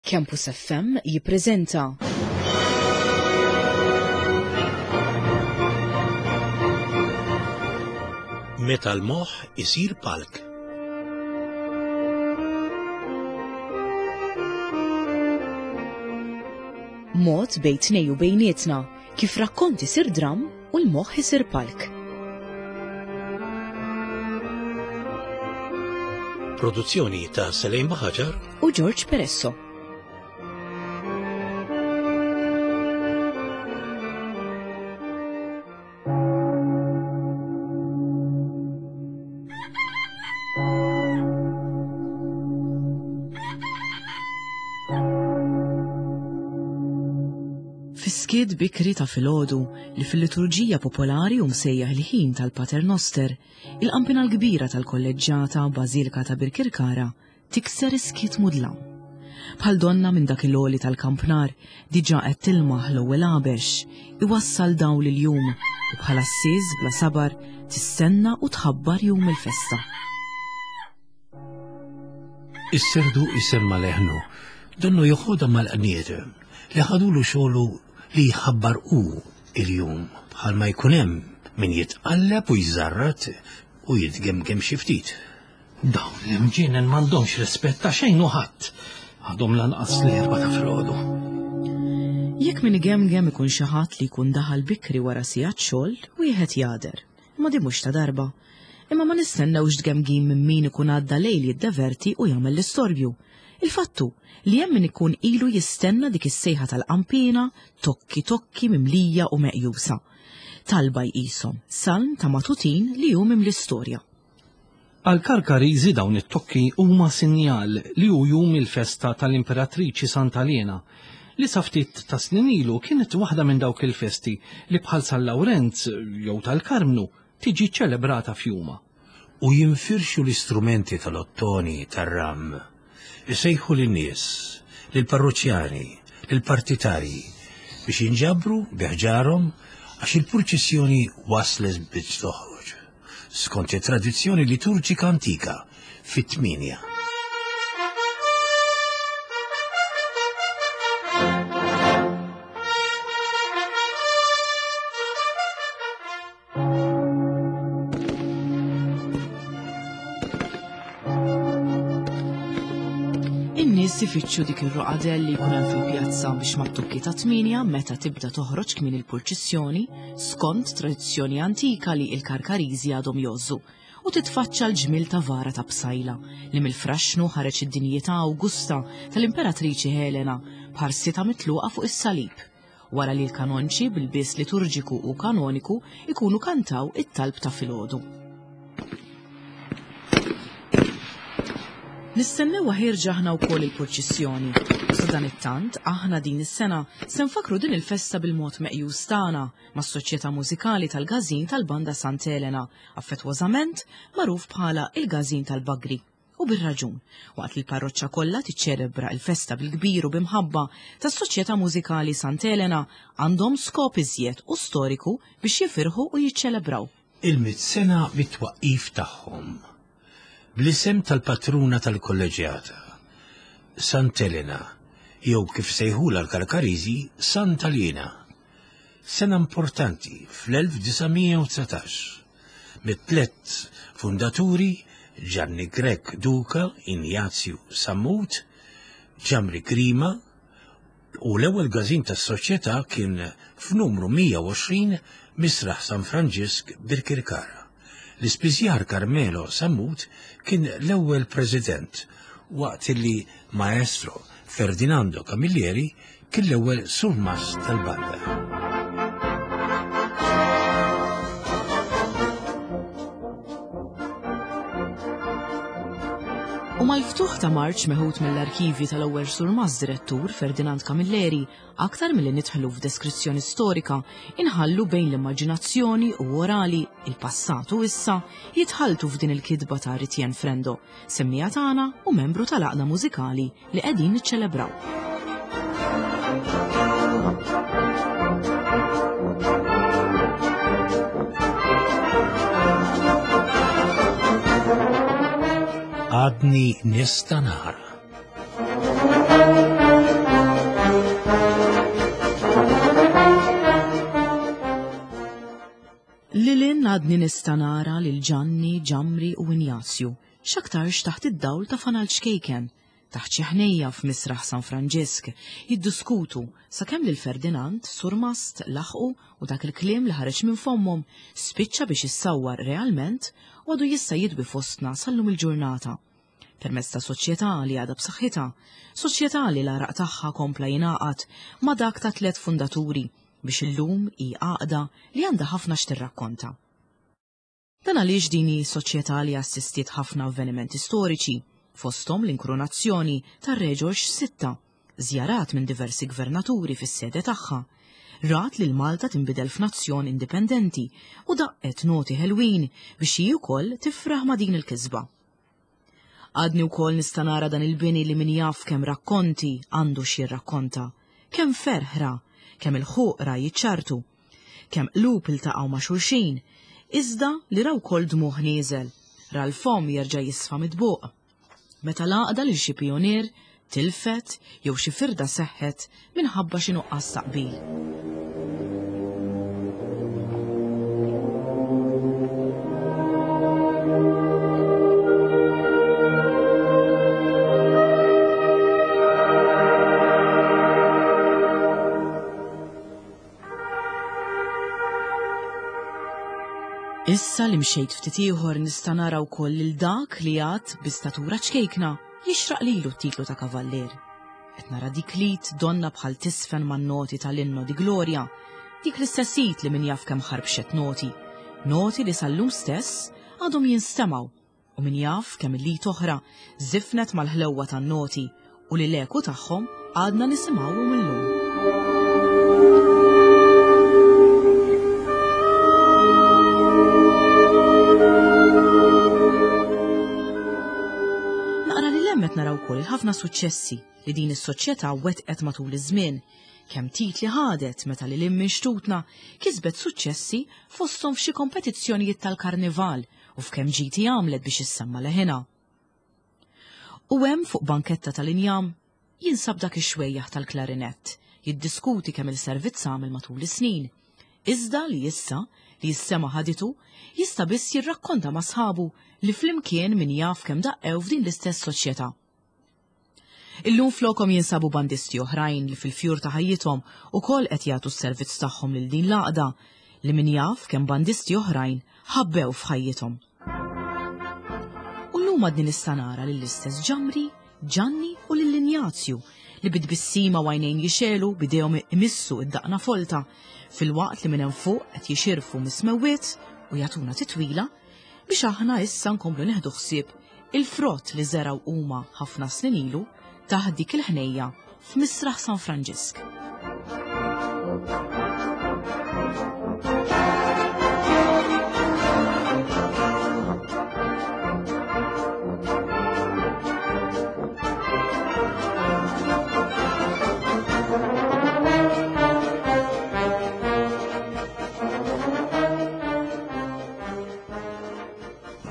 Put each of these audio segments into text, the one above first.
Campus FM jippreżenta. Meta l-moħħ isir palk. Mod bejn tnej u bejnietna kif rakkont isir dramm u l-moħħ isir palk. Produzzjoni ta' Selejn Baħaġar u George Peresso. Fis-skiet bikri ta' filgħodu li fil-liturġija popolari hu msejjaħ il-ħin tal-Pater Noster, il-qampina l-kbira tal-Kolleġġjata Bażilika ta' Birkirkara tikser is-skiet mudlam. Bħal donna minn dak il-għoli tal-kampnar diġà qed tilmaħ l-ewwel għabex iwassal dawl il-jum u bħal għassies bla sabar tistenna u tħabbar jum il-festa. Is-serdu jsemma' leħnu, donnu joħodha mal-qnieter li ħadulu xogħlu li jħabbar hu il-jum, bħalma jkun hemm min jitqalleb u jżarrat u jitgemgem xi ftit. Dawn l-imġienen m'għandhomx rispett ta' xejn u ħadd. Għadhom lanqas l-erba' ta' filgħodu. Jekk min igemgem ikun xi ħadd li jkun daħal bikri wara sigħat xogħol, wieħed jagħder. Imma din mhux ta' darba. Imma ma nistennewx tgemgim minn min ikun għadda lejl jiddeverti u jagħmel l-istorbju. Il-fatt hu li hemm min ikun ilu jistenna dik is-sejħa tal-qanpiena tokki tokki mimlija u meqjusa. Talba jqishom, salm ta' matutin li hu mimli storja. Għall-Karkariżi dawn it-tokki huma sinjal li hu jum il-festa tal-Imperatriċi Santa Liena, li sa ftit ta' snin ilu kienet waħda minn dawk il-festi li bħal San Lawrenz jew tal-Karmnu tiġi ċċelebrata f'jumha. U jinfirxu l-istrumenti tal-ottoni tar-ram, isejħu lin-nies, lill-parruċjani, lill-partitarji biex jinġabru bi ħġarhom għax il-purċissjoni waslet biex toħroġ, skont it-tradizzjoni liturġika antika, fit-tmienja. In-nies ifittxu dik ir-roqadell li jkun hemm fil-pjazza biex mat-tukki ta' tmienja meta tibda toħroġ kmieni l-purċissjoni skont tradizzjoni antika li il-Karkariżi għadhom jgħożżu u titfaċċa l-ġmiel ta' vara ta' psajla li mill-fraxxnu ħareġ id-dinjità awgusta tal-Imperatriċi Helena b'ħarsitha mitluqa fuq is-salib. wara li l-kanonċi bil-bies liturġiku u kanoniku ikunu kantaw it-talb ta' filgħodu. Nistennewha ħierġa aħna wkoll il-purċissjoni. U sadanittant, aħna din is-sena se nfakkru din il-festa bil-mod meqjus tagħna mas-Soċjetà Mużikali tal-Każin tal-Banda Sant'Elena, affettwożament magħruf bħala il-Każin tal-Bagri. U bir-raġun, waqt li l-parroċċa kollha tiċċelebra l-festa bil-kbir u b'imħabba tas-Soċjetà Mużikali Sant'Elena għandhom skop iżjed u storiku biex jifirħu u jiċċelebraw. Il-mitt sena mit-twaqqif tagħhom, bl-isem tal-patruna tal-kolleġġjata, Sant'Elena, jew kif sejħulha l-Karkariżi, Santa Liena. Sena importanti fl-1919. mit-tlett fundaturi Ġanni Grech Duca, Injazju Sammut, Ġamri Grima, u l-ewwel każin tas-soċjetà kien f'numru 120 Misraħ San Franġisk Birkirkara. L-ispiżjar Carmelo Sammut kien l-ewwel president waqt li Maestro Ferdinando Camilleri kien l-ewwel surmast tal-banda. U mal-ftuħ ta' marċ meħud mill-arkivi tal-ewwel surmast direttur Ferdinand Camilleri, aktar milli nidħlu f'deskrizzjoni storika, inħallu bejn l-immaġinazzjoni u orali, il-passat u issa, jitħalltu f'din il-kitba ta' Ritjen Frendo, semmija tagħna u membru tal-għaqda mużikali li qegħdin niċċelebraw. Għadni nista' nara. Għadni nista' nara lil Ġanni, Ġamri u Injazju, x'aktarx taħt id-dawl ta' fanal ċkejken, taħt xi ħnejja f'Misraħ San Franġisk, jiddiskutu sakemm lil Ferdinand, surmast, laħqu u dak il-kliem li ħareġ minn fommhom spiċċa biex issawwar realment u għadu jista' jidwi fostna sal-lum il-ġurnata. Permezz ta' soċjetà li għadha b'saħħitha, soċjetà li l-għaraq tagħha kompla jingħaqad ma' dak ta' tlett fundaturi biex illum hi għaqda li għandha ħafna x'tirrakkonta. Dan għaliex din hi soċjetà li assistiet ħafna avvenimenti storiċi, fosthom l-inkrunazzjoni tar-Re Ġorġ Sitta, żjarat minn diversi gvernaturi fis-sede tagħha, rat lil Malta tinbidel f'nazzjon indipendenti u daqqet noti ħelwin biex hi wkoll tifraħ ma' din il-kisba. Għadni wkoll nista' nara dan il-bini li min jaf kemm rakkonti għandu x'jirrakkonta, kemm ferħ ra, kemm ilħuq ra jiċċartu, kemm qlub iltaqgħu ma' xulxin, iżda li ra wkoll dmugħ nieżel, ra l-fomm jerġa' jisfa mitbuq. Meta l-għaqda lil xi pijunier tilfet jew xi firda seħħet minħabba xi nuqqas ta' qbil. Issa li mxejt ftit ieħor nista' nara wkoll lil dak li għad bi statura ċkejkna jixraq lilu t-titlu ta' kavallier. Qed nara dik l-id donna bħal tisfen man-noti tal-Inno di Gloria, dik l-istess id li min jaf kemm ħarbxet noti, noti li sal-lum stess għadhom jinstemgħu u min jaf kemm il-id oħra żifnet mal-ħlewwa tan-noti u li l-eku tagħhom għadna nisimgħuhom illum. Naqra li lemmet naraw ukoll il-ħafna suċċessi li din is-soċjetà wettqet matul iż-żmien, kemm titli ħadet meta lil hinn minn xtutna kisbet suċċessi fosthom f'xi kompetizzjonijiet tal-karnival u f'kemm ġiti għamlet biex issemma leħinha. U hemm fuq banketta tal-injam jinsab dak ix-xwejjaħ tal-klarinett jiddiskuti kemm il-servizz għamel matul is-snin. Iżda li issa li s-sema ħaditu jista' biss jirrakkonta ma' sħabu li flimkien min jaf kemm daqqew f'din l-istess soċjetà. Illum flokhom jinsabu bandisti oħrajn li fil-fjur ta' ħajjithom ukoll qed jagħtu s-servizz tagħhom lil din l-għaqda li min jaf kemm bandisti oħrajn ħabbew f'ħajjithom. U llum għadni nista' nara lill-istess Ġamri, Ġanni u lil Injazju li bi tbissima u għajnejn jixegħlu b'idejhom imissu id-daqna folta filwaqt li minn hemm fuq qed jixirfu mis-smewwiet u jagħtuna titwila biex aħna issa nkomplu nieħdu ħsieb il-frott li żergħu huma ħafna snin ilu taħt dik il-ħnejja f'Misraħ San Franġisk.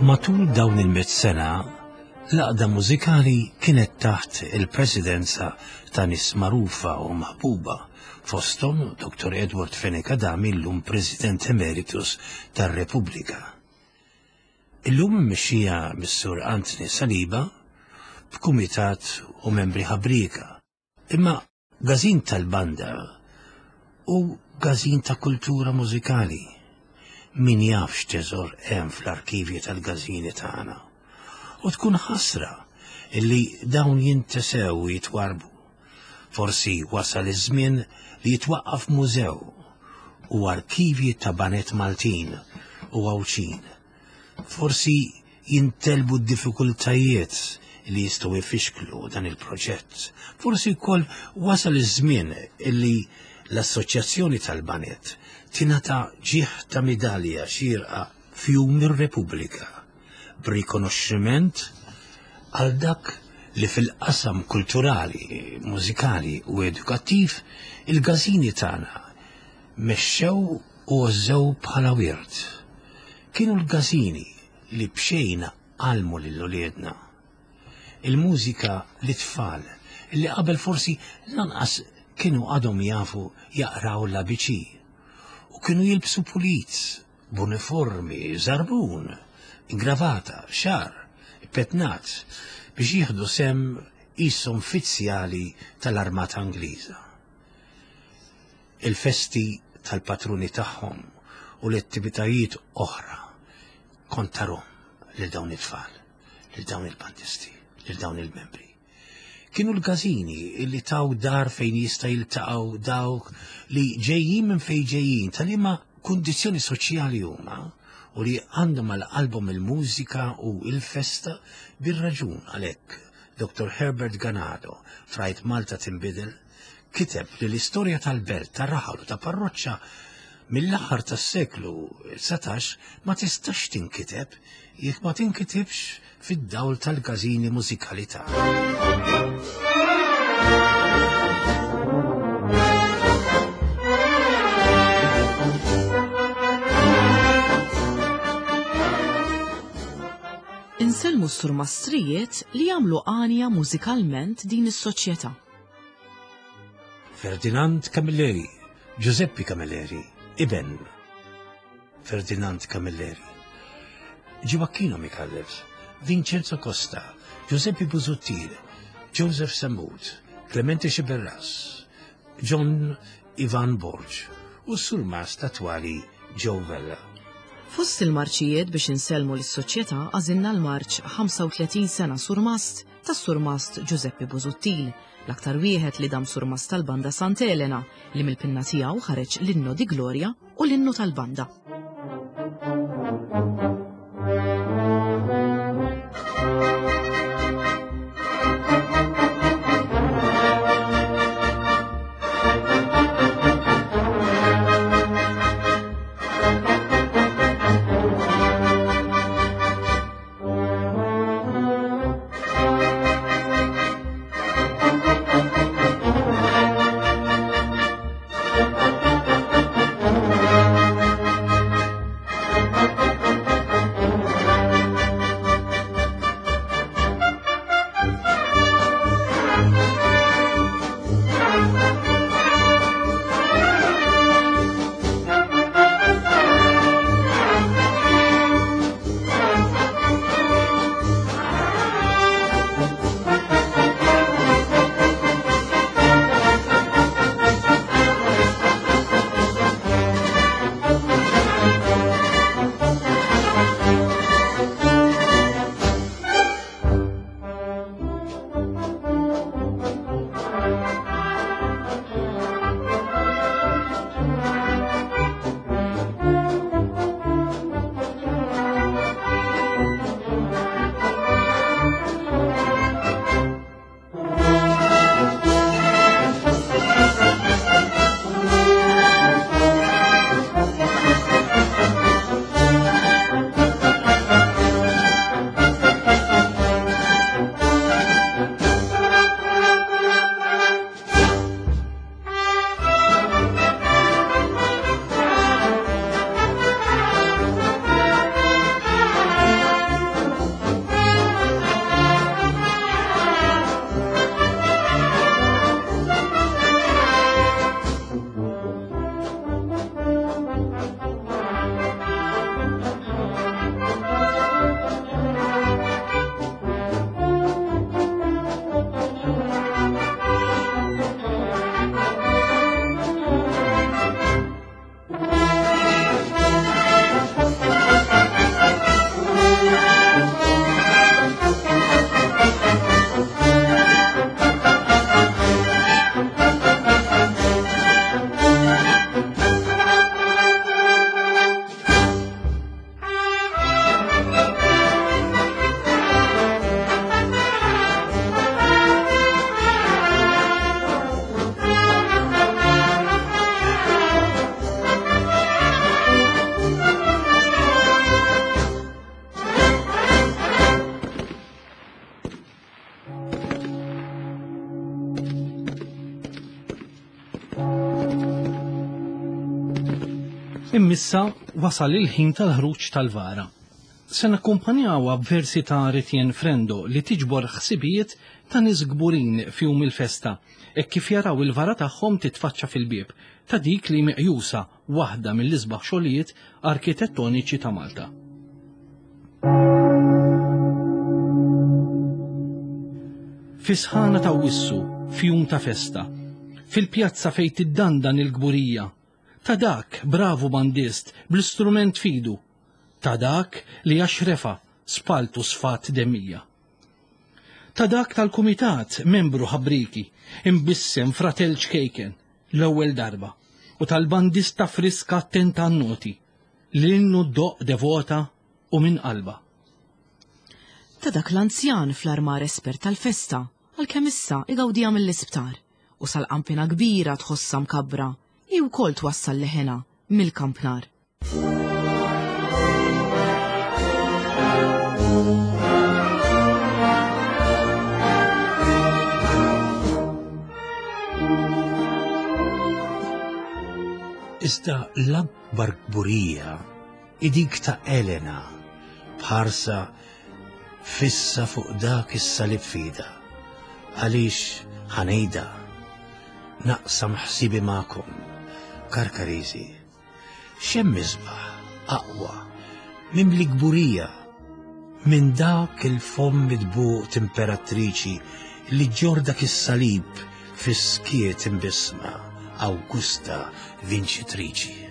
Matul dawn il-mitt sena, l-għaqda mużikali kienet taħt il-presidenza ta' nies magħrufa u maħbuba, fosthom Dr. Edward Fenech Adami llum President Emeritus tar-Repubblika. Illum immexxija mis-Sur Anthony Saliba b'kumitat u membri ħabrieka. Imma Każin tal-banda u każin ta' kultura mużikali. Min jaf x'teżor hemm fl-arkivji tal-każini tagħna. U tkun ħasra illi dawn jintesew u jitwarrbu. Forsi wasal iż-żmien li jitwaqqaf mużew u arkivji ta' baned Maltin u Għawdxin. Forsi jintelbu d-diffikultajiet li jistgħu jfixklu dan il-proġett. Forsi wkoll wasal iż-żmien illi l-Assoċjazzjoni tal-Baned tingħata ġieħ ta' midalja xierqa f'Jum ir-Repubblika b'rikonoxximent għal dak li fil-qasam kulturali, mużikali u edukattiv il-każini tagħna mexxew u għożżew bħala wirt. Kienu l-każini li b'xejn għallmu lil uliedna. Il-mużika lit-tfal li qabel forsi lanqas kienu għadhom jafu jaqraw l-ABC u kienu jilbsu pulit. b'uniformi, żarbun, ingravata, xagħar ippetnat biex jieħdu sehem qishom fizzjali tal-Armata Ingliża. Il-festi tal-patruni tagħhom u l-attivitajiet oħra kont tarhom lil dawn it-tfal, lil dawn il-bandisti, lil dawn il-membri. Kienu l-każini li taw dar fejn jista' jiltaqgħu dawk li ġejjin minn fejn ġejjin ta' liema kundizzjoni soċjali huma u li għandhom għal qalbhom il-mużika u il-festa bir-raġun għalhekk Dr. Herbert Ganado f'Rajt Malta Tinbidel kiteb li l-istorja tal-belt, tar-raħal u ta' parroċċa mill-aħħar tas-seklu 19 ma tistax tinkiteb jekk ma tinkitibx fid-dawl tal-każini mużikali tagħna. Insellmu s-surmastrijiet li jagħmlu għanja mużikalment din is-soċjetà. Ferdinand Camilleri, Giuseppe Camilleri, iben Ferdinand Camilleri, Gioacchino Micallef, Vincenzo Costa, Giuseppe Busuttil, Joseph Sammut, Clemente Sciberras, John Ivan Borg u s-surmast attwali Joe Vella. Fost il-marċijiet biex insellmu lis-soċjetà għażilna l-marċ 35 sena surmast tas-surmast Giuseppe Busuttil, l-aktar wieħed li dam surmast tal-Banda Sant Elena li mill-pinna tiegħu ħareġ l-Inno di Gloria u l-Innu tal-Banda. Immissa wasal il-ħin tal-ħruġ tal-vara. Se nakkumpanjawha b'versi ta' Ritienne Frendo li tiġbor ħsibijiet ta' nies kburin f'jum il-festa hekk kif jaraw il-vara tagħhom titfaċċa fil-bieb ta' dik li meqjusa waħda mill-isbaħ xogħlijiet arkitettoniċi ta' Malta. Fi sħana ta' wissu, f'jum ta' festa, fil-pjazza fejn tiddandan il-kburija, ta' dak bravu bandist bl-istrument fidu, Ta' dak li għax refa' spaltu sfat demmija. Ta' dak tal-kumitat membru ħabrieki, imbissem fratell ċkejken, l-ewwel darba, u tal-bandista friska attenta għan-noti, li l-innu ddoqq devota u minn qalbha. Ta' dak l-anzjan fl-armar espert tal-festa, għalkemm issa igawdiha mill-isptar, u sal-qanpiena kbira tħossha mkabbra, hi wkoll twassal leħenha mill-kampnar. Iżda l-akbar kburija hi dik ta' Elena b'ħarsa fissa fuq dak is-salib fida. Għaliex ħanejda naqsam ħsibi magħkom, Karkariżi. X'hemm isbaħ, aqwa, mimli kburija minn dak il-fomm mitbuq t'imperatriċi li ġġorr dak is-salib fis-skiet imbissma, Awgusta vinċitriċi.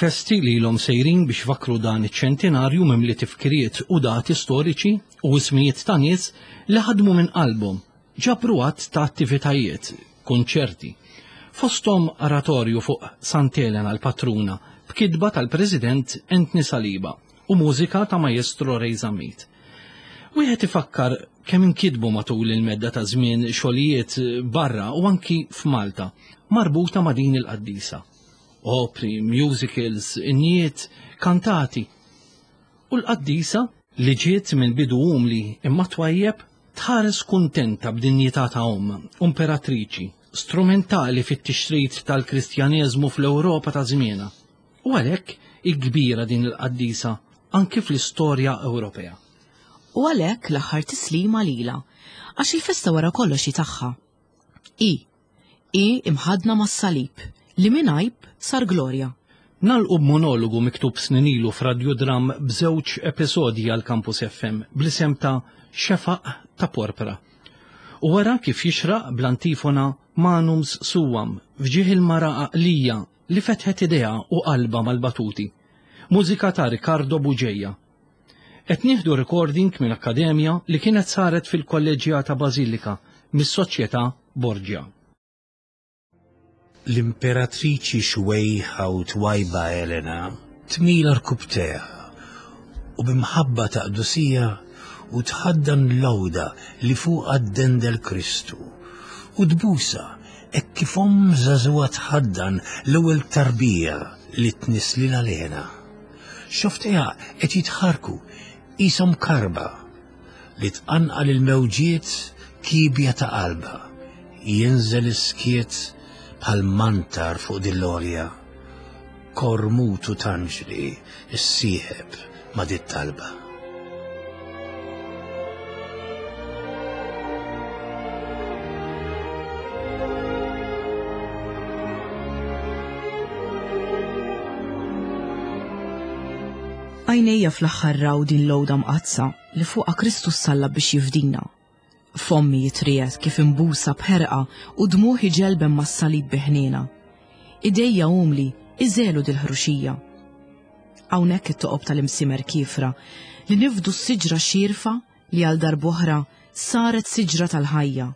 Il-festi li ilhom sejrin biex fakkru dan iċ-ċentinarju mimli tifkiriet u dati storiċi u ismijiet ta' nies li ħadmu minn qalbhom, ġabru għadd ta' attivitajiet, kunċerti. Fosthom oratorju fuq Sant'Elena l-Patruna b'kitba tal-President Anthony Saliba u mużika ta' Maestro Ray Zammit. Wieħed ifakkar kemm inkitbu matul il-medda ta' żmien xogħlijiet barra u anki f'Malta marbuta ma' din il-qaddisa. Opri, musicals, innijiet, kantati. U l-qaddisa li ġiet minn bidu umli imma twajjeb tħares kuntenta b'dinjità ta' omm, imperatriċi, strumentali fit-tixrid tal-Kristjaneżmu fl-Ewropa ta' żmienha. U għalhekk hi kbira din il-qaddisa anki fl-istorja Ewropea. U għalhekk l-aħħar tislima lilha, għax il-festa wara kollox hi tagħha. Hi, hi imħaddna mas-salib, li minn għajb sar glorja. Nagħlqu b'monologu miktub snin ilu f'radjudramm b'żewġ episodji għal Campus FM bl-isem ta' Xefaq ta' Porpra. U wara kif jixraq bl-antifona. Manums Suam f'ġieħ il-mara għaqlija li fetħet idejha u qalbha mal-batuti. Mużika ta' Riccardo Bugeja. Qed nieħdu recording minn akkademja li kienet saret fil-Kolleġġjata Bażilika mis-Soċjetà Borgia. L-Imperatriċi xwejħa u twajba Elena tmil għarkupptejha u bi mħabba ta' qdusija u tħaddan l-għuda li fuqha ddendel Kristu u tbusha hekk kif omm żagħżugħa tħaddan l-ewwel tarbija li tnisslilha Lena. Xofftejha qed jitħarrku qishom karba li tqanqal il-mewġiet kiebja ta' qalbha, jinżel is-skiet bħal mantar fuq din l-għolja, kor mutu t'anġli ssieħeb ma' dit-talba. Għajnejja fl-aħħar raw din l-għoda mqaddsa li fuqha Kristu ssallab biex jifdina. Fommi jitriegħed kif imbusa b'ħerqa u dmugħ iġelben mas-salib bi ħniena. Idejja umli iżegħlu dil-ħruxija. Hawnhekk it-toqob tal-imsiemer kiefra li nifdu s-siġra xierfa li għal darb'oħra saret siġra tal-ħajja.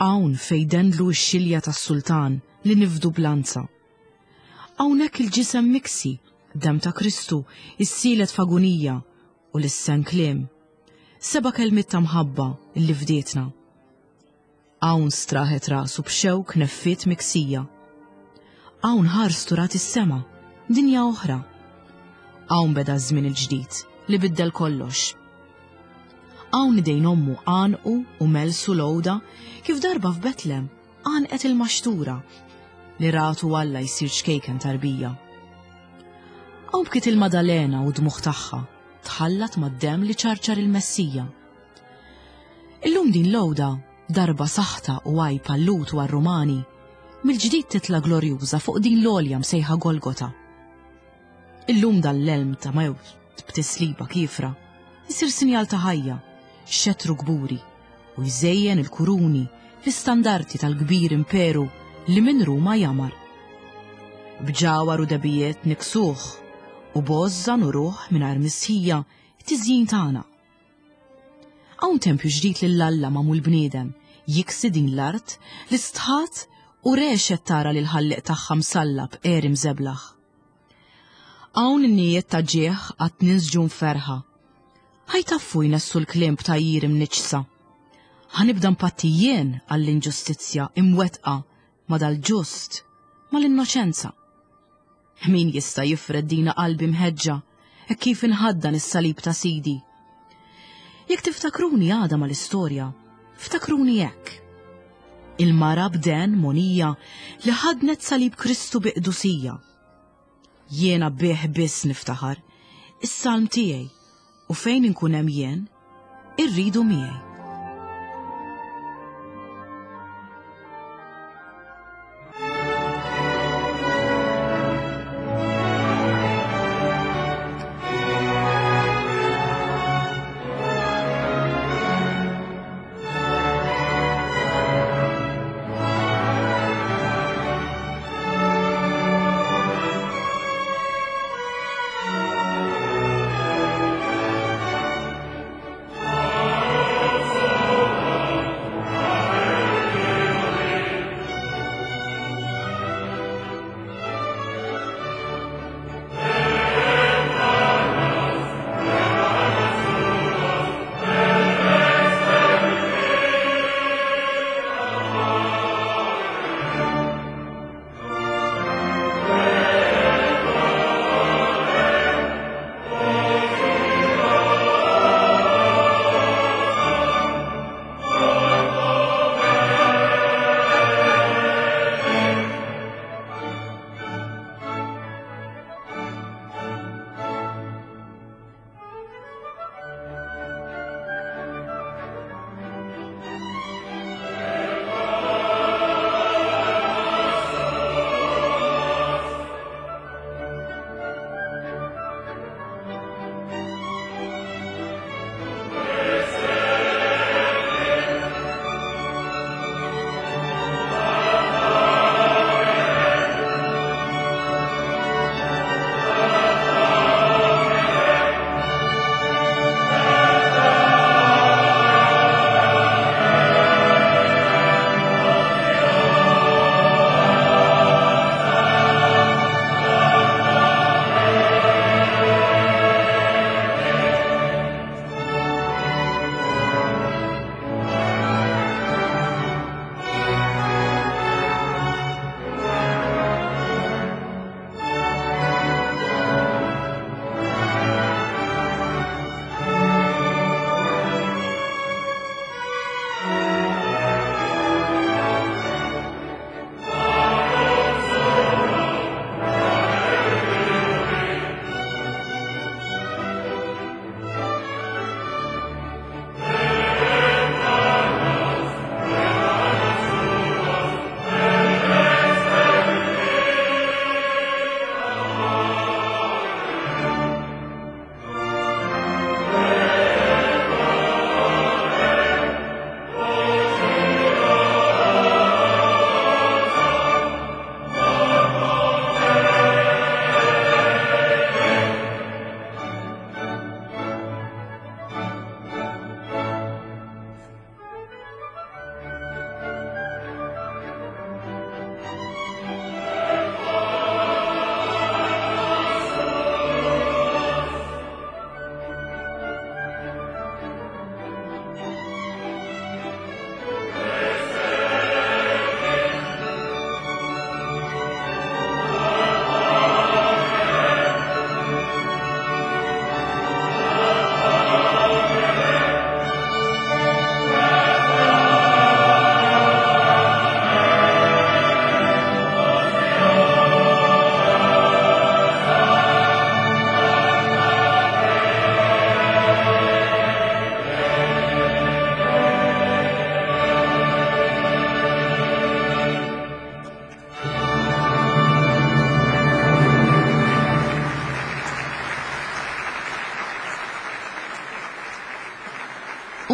Hawn fejn dendlu x-xilja tas-sultan li nifdu b'lanza. Hawnhekk il-ġisem miksi, demm ta' Kristu, issielet f'agunija u lissen kliem. Seba' kelmiet ta' mħabba li fdietna. Hawn straħet rasu b'xewk neffiet miksija. Hawn ħarstu rat is-sema, dinja oħra. Hawn beda ż-żmien il-ġdid li biddel kollox. Hawn idejn ommu għanqu u melsu l-għoda kif darba f'Betlem għanqet il-maxtura li ratu Alla jsir ċkejken tarbija. Hawn bkiet il-Madalena u d-dmugħ tagħha tħallat mad-demm li ċarċar il-Messija. Illum din l-għoda, darba saħta u għajb għal-Lhud u għar-Rumani, mill-ġdid titla' glorjuża fuq din l-għolja msejħa Golgota. Illum dan l-elm ta' mewt b'tisliba kiefra jsir sinjal ta' ħajja, xettru kburi u jżejjen il-kuruni, l-istandarti tal-kbir imperu li minn Ruma jamar. B'ġawhar u debijiet niksuh u b'għożża nuruh mingħajr mistħija t-tiżjin tagħna. Hawn tempju ġdid lil Alla magħmul bniedem jiksi din l-art li stħat u regħxet tara lil ħallieq tagħha msallab għeri mżeblaħ. Hawn in-nijiet ta' ġieħ għad ninsġu mferrħa. Ħa jtaffu jnessu l-kliem b'tgħajjir imniġġsa. Ħa nibda npatti jien għall-inġustizzja imwettqa ma' dal-ġust, mal-innoċenza. Min jista' jifred dina qalbi mħeġġa hekk kif inħaddan is-salib ta' Sidi? Jekk tiftakruni għada mal-istorja, ftakruni hekk. Il-mara b'den monija li ħadnet salib Kristu bi qdusija. Jiena bih biss niftaħar, is-salm tiegħi, u fejn inkun hemm jien, irridu miegħi.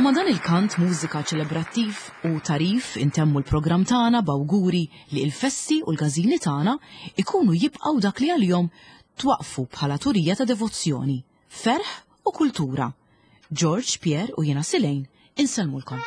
U ma' dan il-kant mużika ċelebrattiv u tarif intemmu l-programm tagħna b'awguri li l-festi u l-każini tagħna ikunu jibqgħu dak li għalihom twaqfu bħala turija ta' devozzjoni, ferħ u kultura. George, Pierre u jiena Silejn insellmulkom.